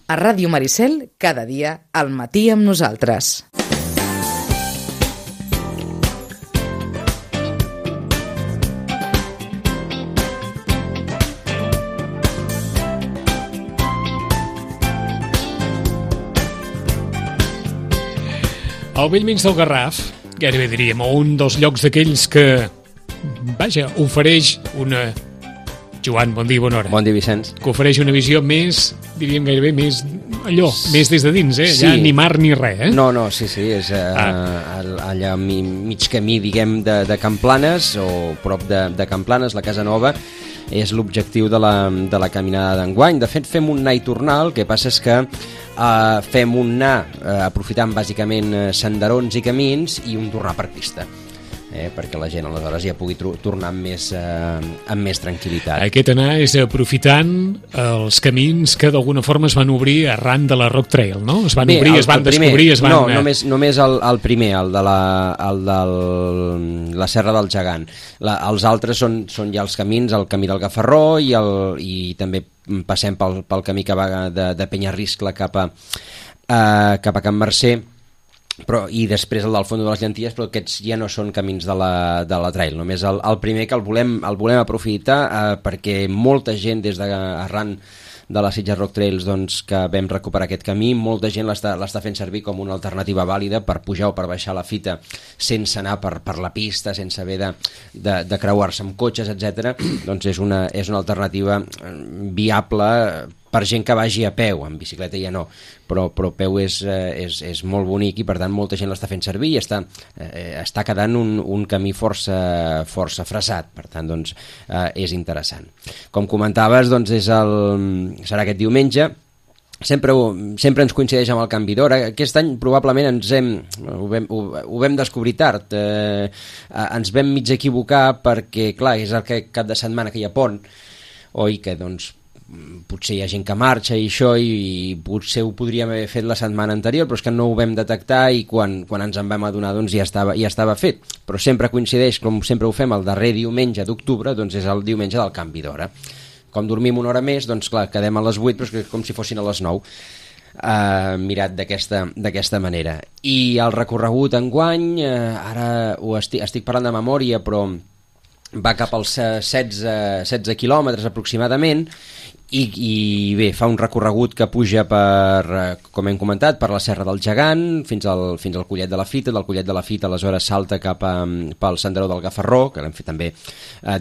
A Ràdio Maricel, cada dia, al matí amb nosaltres. Al bell mig del Garraf, gairebé diríem, un dels llocs d'aquells que, vaja, ofereix una... Joan, bon dia, bona hora. Bon dia, Vicenç. Que ofereix una visió més, diríem gairebé més allò, més des de dins, Sí. Ja ni mar ni res, No, sí, és allà mig camí, diguem, de Can Planes, o prop de Can Planes, la Casa Nova, és l'objectiu de la caminada d'enguany. De fet, fem un anar i tornar, el que passa és que fem un anar aprofitant bàsicament senderons i camins i un tornar per pista. Perquè la gent aleshores ja pugui tornar amb més tranquil·litat. Aquest anar és aprofitant els camins que d'alguna forma es van obrir arran de la Rock Trail, no? Es van obrir, es van descobrir, es van... No, només el primer, el de la Serra del Gegant. Els altres són ja els camins, el camí del Gafarró i també passem pel camí que va de Penyarriscle cap a Can Mercè, i després el del Fons de les Llenties, però aquests ja no són camins de la trail, només el primer que el volem aprofitar perquè molta gent des arran de la Sitges Rock Trails, doncs, que vam recuperar aquest camí, molta gent l'està fent servir com una alternativa vàlida per pujar o per baixar la fita sense anar per la pista, sense haver de creuar-se amb cotxes, etc. Doncs és una alternativa viable per gent que vagi a peu, en bicicleta ja no, però a peu és molt bonic i per tant molta gent l'està fent servir i està quedant un camí força fressat, per tant doncs és interessant. Com comentaves, doncs serà aquest diumenge. Sempre ens coincideix amb el canvi d'hora. Aquest any probablement ho vam descobrir tard, ens vam mig equivocar perquè clar, és el cap de setmana que hi ha pont, oi, que doncs potser hi ha gent que marxa i això, i potser ho podríem haver fet la setmana anterior, però és que no ho vam detectar i quan ens en vam adonar doncs ja estava fet, però sempre coincideix, com sempre ho fem, el darrer diumenge d'octubre, doncs és el diumenge del canvi d'hora. Com dormim una hora més, doncs clar, quedem a les 8, però és com si fossin a les 9, mirat d'aquesta manera. I el recorregut enguany, ara estic parlant de memòria, però va cap als 16 quilòmetres aproximadament, i bé, fa un recorregut que puja com hem comentat, per la Serra del Gegant fins al Collet de la Fita. Del Collet de la Fita aleshores salta cap pel Senderó del Gafarró, que l'hem fet també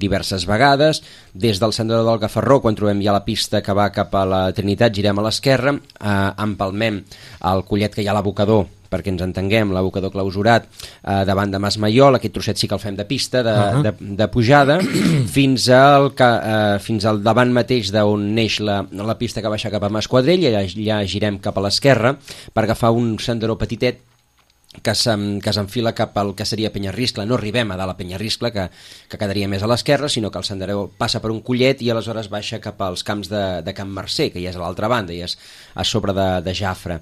diverses vegades. Des del Senderó del Gafarró, quan trobem ja la pista que va cap a la Trinitat, girem a l'esquerra, empalmem el collet que hi ha a l'abocador, perquè ens entenguem, l'abocador clausurat davant de Mas Maiol. Aquest trosset sí que el fem de pista, de pujada, fins al davant mateix d'on neix la pista que baixa cap a Mas Quadrell, i allà girem cap a l'esquerra per agafar un senderó petitet que s'enfila cap al que seria Penyarriscle. No arribem a dalt a Penyarriscle, que quedaria més a l'esquerra, sinó que el senderó passa per un collet i aleshores baixa cap als camps de Can Mercè, que ja és a l'altra banda, ja és a sobre de Jafre.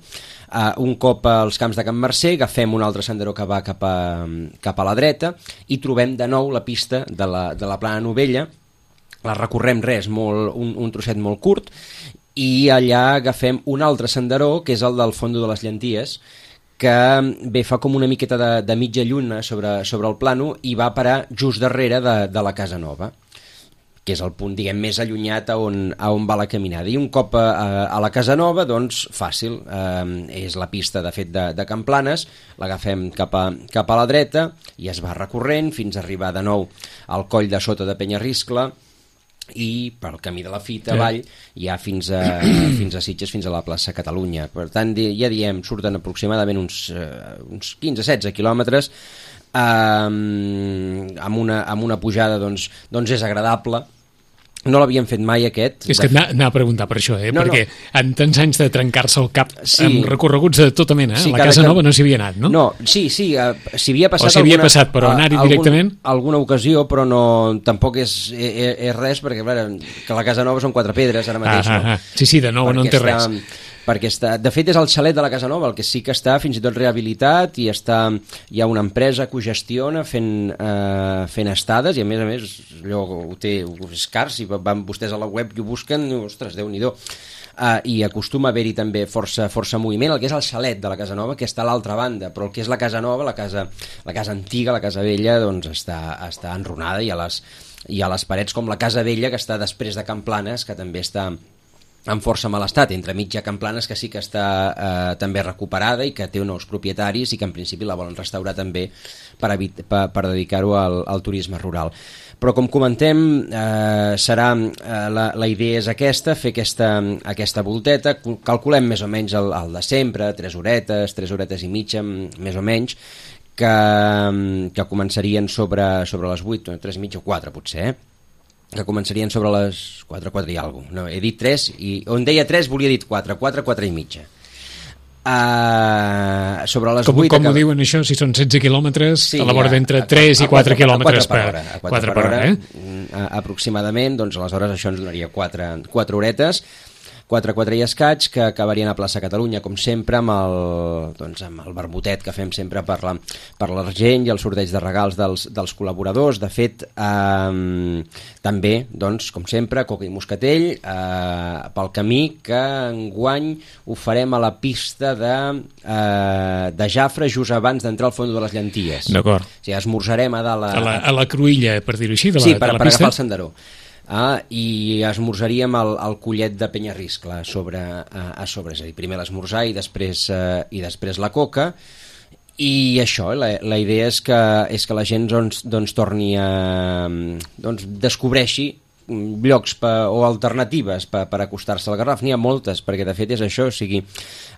Un cop als camps de Can Mercè agafem un altre senderó que va cap a la dreta i trobem de nou la pista de la Plana Novella. La recorrem un trosset molt curt, i allà agafem un altre senderó, que és el del Fondo de les Llenties, que bé, fa com una miqueta de mitja lluna sobre el plano i va parar just darrere de la Casa Nova, que és el punt, diguem, més allunyat a on va la caminada. I un cop a la Casa Nova, doncs fàcil, és la pista de fet de Can Planes, l'agafem cap a la dreta i es va recorrent fins a arribar de nou al coll de sota de Penyarriscle i pel camí de la Fita avall ja fins a Sitges, fins a la plaça Catalunya. Per tant, ja diem, surten aproximadament uns 15-16 quilòmetres, amb una pujada doncs és agradable. No l'havíem fet mai, aquest. És que anava a preguntar per això, perquè en tants anys de trencar-se el cap amb recorreguts de tota mena, la Casa Nova no s'hi havia anat, no? No, sí, s'hi havia passat. O s'hi havia passat, però anar-hi directament? Alguna ocasió, però no, tampoc és res, perquè que la Casa Nova són 4 pedres ara mateix. Sí, de nou no en té res. Perquè de fet és el xalet de la Casa Nova, el que sí que està fins i tot rehabilitat, i hi ha una empresa que ho gestiona fent estades, i a més allò és car, si van vostès a la web i ho busquen, ostres, Déu-n'hi-do. i acostuma a haver-hi també força moviment. El que és el xalet de la Casa Nova, que està a l'altra banda, però el que és la Casa Nova, la casa antiga, la Casa Vella, doncs està enrunada, i a les parets, com la Casa Vella, que està després de Can Planes, que també està en força mal estat, entre mitja Can Planes, que sí que està també recuperada i que té nous propietaris i que en principi la volen restaurar també per dedicar-ho al turisme rural. Però com comentem, la idea és aquesta, fer aquesta volteta. Calculem més o menys el de sempre, 3 horetes i mitja, més o menys, que començarien sobre les 8, 3 i mitja o 4 potser, que començarien sobre les 4 i alguna cosa. No, he dit 3, i on deia 3 volia dir 4 i mitja. Sobre les 8... Com ho diuen això? Si són 16 quilòmetres, sí, a la vora d'entre 3 i 4 quilòmetres per hora. Aproximadament, doncs aleshores això ens donaria 4 horetes, 4 i escaig, que acabarien a Plaça Catalunya, com sempre, amb el vermutet que fem sempre per l'Argent i el sorteig de regals dels col·laboradors. De fet, també, doncs, com sempre, coca i moscatell pel camí, que enguany ho farem a la pista de Jafre, just abans d'entrar al fons de les Llenties. D'acord. O sigui, esmorzarem a dalt... A la Cruïlla, per dir-ho així, de la pista. Sí, per agafar el senderó. I esmorzaríem el collet de Penyarriscle a sobre, és a dir, primer l'esmorzar i després la coca. I això, la idea és que la gent doncs torni a... descobreixi llocs o alternatives per acostar-se al Garraf. N'hi ha moltes, perquè de fet és això, o sigui,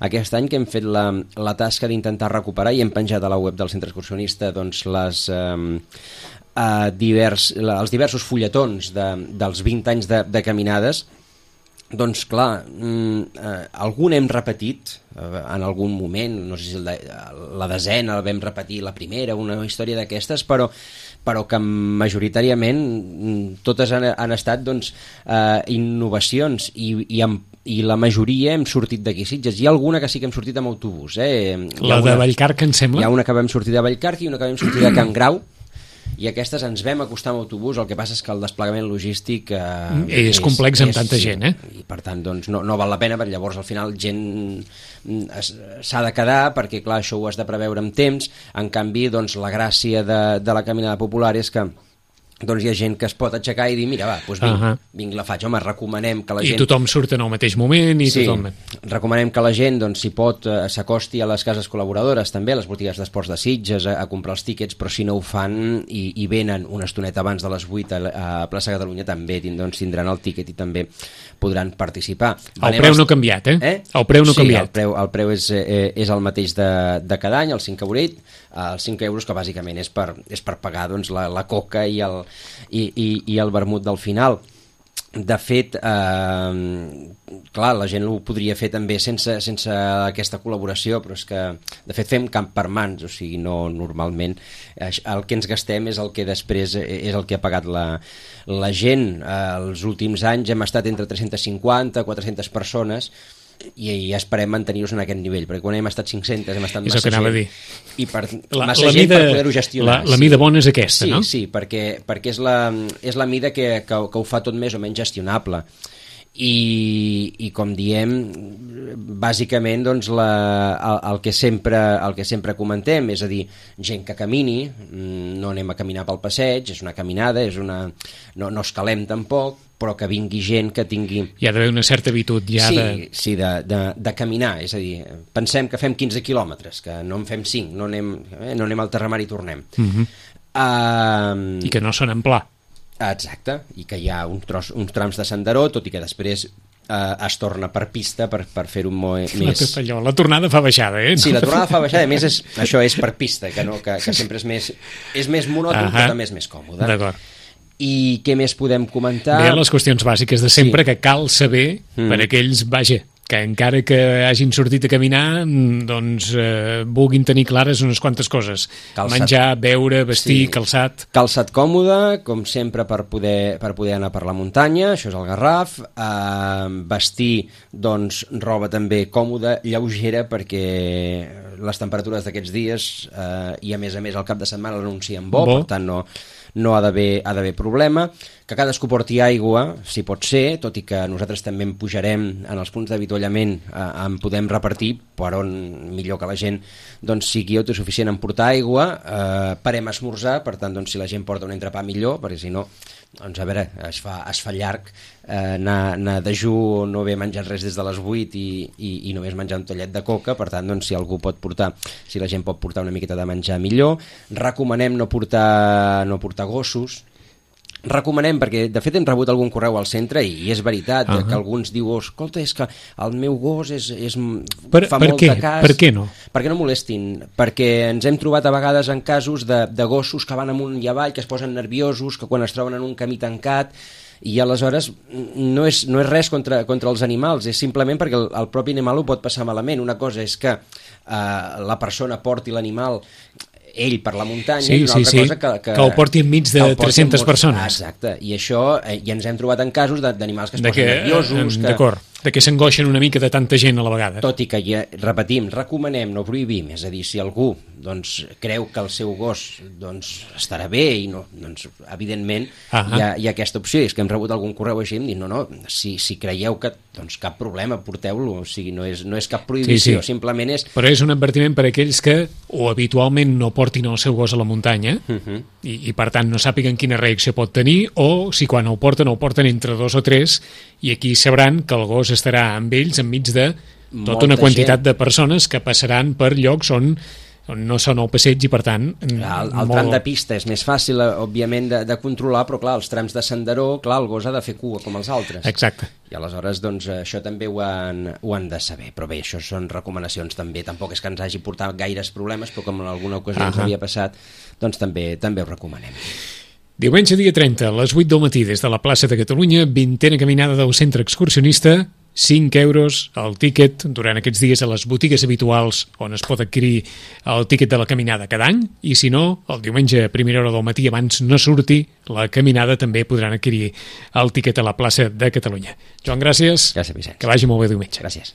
aquest any que hem fet la tasca d'intentar recuperar i hem penjat a la web del Centre Excursionista doncs els diversos fulletons dels 20 anys de caminades. Doncs clar, algun hem repetit en algun moment, no sé si la desena la vam repetir, la primera, una història d'aquestes, però que majoritàriament totes han estat doncs, innovacions i la majoria hem sortit d'aquí Sitges. Hi ha alguna que sí que hem sortit amb autobús. La de Vallcarca, em sembla? Hi ha una que vam sortir de Vallcarca i una que vam sortir de Can Grau, i aquestes ens vam acostar amb autobús. El que passa és que el desplegament logístic és complex amb tanta gent, i per tant doncs, no val la pena, perquè llavors al final gent s'ha de quedar, perquè clar, això ho has de preveure amb temps. En canvi, doncs, la gràcia de la caminada popular és que doncs hi ha gent que es pot aixecar i dir, mira, va, doncs vinc, la faig. Home, recomanem que la gent... I tothom surt en el mateix moment i sí, tothom... recomanem que la gent, doncs, si pot, s'acosti a les cases col·laboradores, també a les botigues d'esports de Sitges, a comprar els tíquets, però si no ho fan i venen una estoneta abans de les 8 a Plaça Catalunya, també tindran el tíquet i també podran participar. El preu no ha canviat, El preu no ha canviat. Sí, el preu és el mateix de cada any, el 5 euret, els 5 euros, que bàsicament és per pagar doncs, la coca i el vermut del final. De fet, clar, la gent ho podria fer també sense aquesta col·laboració, però és que de fet fem camp per mans, o sigui, no normalment el que ens gastem és el que després és el que ha pagat la gent. Els últims anys hem estat entre 350 400 persones i esperem mantenir-nos en aquest nivell, perquè quan hem estat 500 hem estat massa gent, i massa gent per poder-ho gestionar. La mida bona és aquesta, no? Sí, perquè és la mida que ho fa tot més o menys gestionable. I com diem, bàsicament doncs, el que sempre comentem, és a dir, gent que camini, no anem a caminar pel passeig, és una caminada, no escalem tampoc, però que vingui gent que tingui... Hi ha d'haver una certa habitud ja de caminar, és a dir, pensem que fem 15 quilòmetres, que no en fem 5, no anem al Terramar i tornem. I que no són en pla. Exacte, i que hi ha uns trams de senderó, tot i que després es torna per pista per fer-ho més... La tornada fa baixada, Sí, la tornada fa baixada, a més això és per pista, que sempre és més monòton, però també és més còmode. D'acord. I què més podem comentar? Bé, les qüestions bàsiques de sempre, que cal saber per aquells, que encara que hagin sortit a caminar, doncs vulguin tenir clares unes quantes coses. Menjar, beure, vestir, calçat... Calçat còmode, com sempre, per poder anar per la muntanya, això és el Garraf. Vestir, doncs, roba també còmoda, lleugera, perquè les temperatures d'aquests dies i a més el cap de setmana l'anuncien bo, per tant no ha d'haver problema. que cadascú porti aigua, si pot ser, tot i que nosaltres també en pujarem en els punts d'avituallament, en podem repartir per on millor que la gent doncs, sigui autosuficient en portar aigua, parem a esmorzar, per tant, doncs, si la gent porta un entrepà millor, perquè si no, doncs, a veure, es fa llarg anar a dejú, no haver menjat res des de les 8 i només menjar un tallet de coca, per tant, doncs, si algú pot portar, si la gent pot portar una miqueta de menjar millor, recomanem no portar gossos. Recomanem, perquè de fet hem rebut algun correu al centre i és veritat que alguns diu, escolta, és que el meu gos fa molt de cas. Per què no? Perquè no molestin, perquè ens hem trobat a vegades en casos de gossos que van amunt i avall, que es posen nerviosos, que quan es troben en un camí tancat, i aleshores no és res contra els animals, és simplement perquè el propi animal ho pot passar malament. Una cosa és que la persona porti l'animal ell per la muntanya, i una altra cosa que ho porti enmig de 300 persones. Exacte, i això ja ens hem trobat en casos d'animals que es posen nerviosos. D'acord, que s'angoixen una mica de tanta gent a la vegada. Tot i que, ja repetim, recomanem, no prohibim, és a dir, si algú creu que el seu gos estarà bé i no, doncs evidentment hi ha aquesta opció. És que hem rebut algun correu així i hem dit, no, si creieu que cap problema, porteu-lo, o sigui, no és cap prohibició, simplement és... Però és un advertiment per a aquells que o habitualment no portin el seu gos a la muntanya i per tant no sàpiguen quina reacció pot tenir, o si quan ho porten entre 2 o 3, i aquí sabran que el gos estarà amb ells enmig de tota una quantitat de persones que passaran per llocs on no són el passeig i per tant... El tram de pista és més fàcil, òbviament, de controlar, però clar, els trams de senderó, clar, el gos ha de fer cua com els altres. Exacte. I aleshores, doncs, això també ho han de saber. Però bé, això són recomanacions també. Tampoc és que ens hagi portat gaires problemes, però com en alguna ocasió ens havia passat, doncs també ho recomanem. Diumenge dia 30, a les 8 del matí, des de la plaça de Catalunya, 20a caminada del centre excursionista, 5 euros el tíquet durant aquests dies a les botigues habituals on es pot adquirir el tíquet de la caminada cada any, i si no, el diumenge a primera hora del matí abans no surti la caminada també podran adquirir el tíquet a la plaça de Catalunya. Joan, gràcies. Gràcies, Vicenç. Que vagi molt bé diumenge. Gràcies.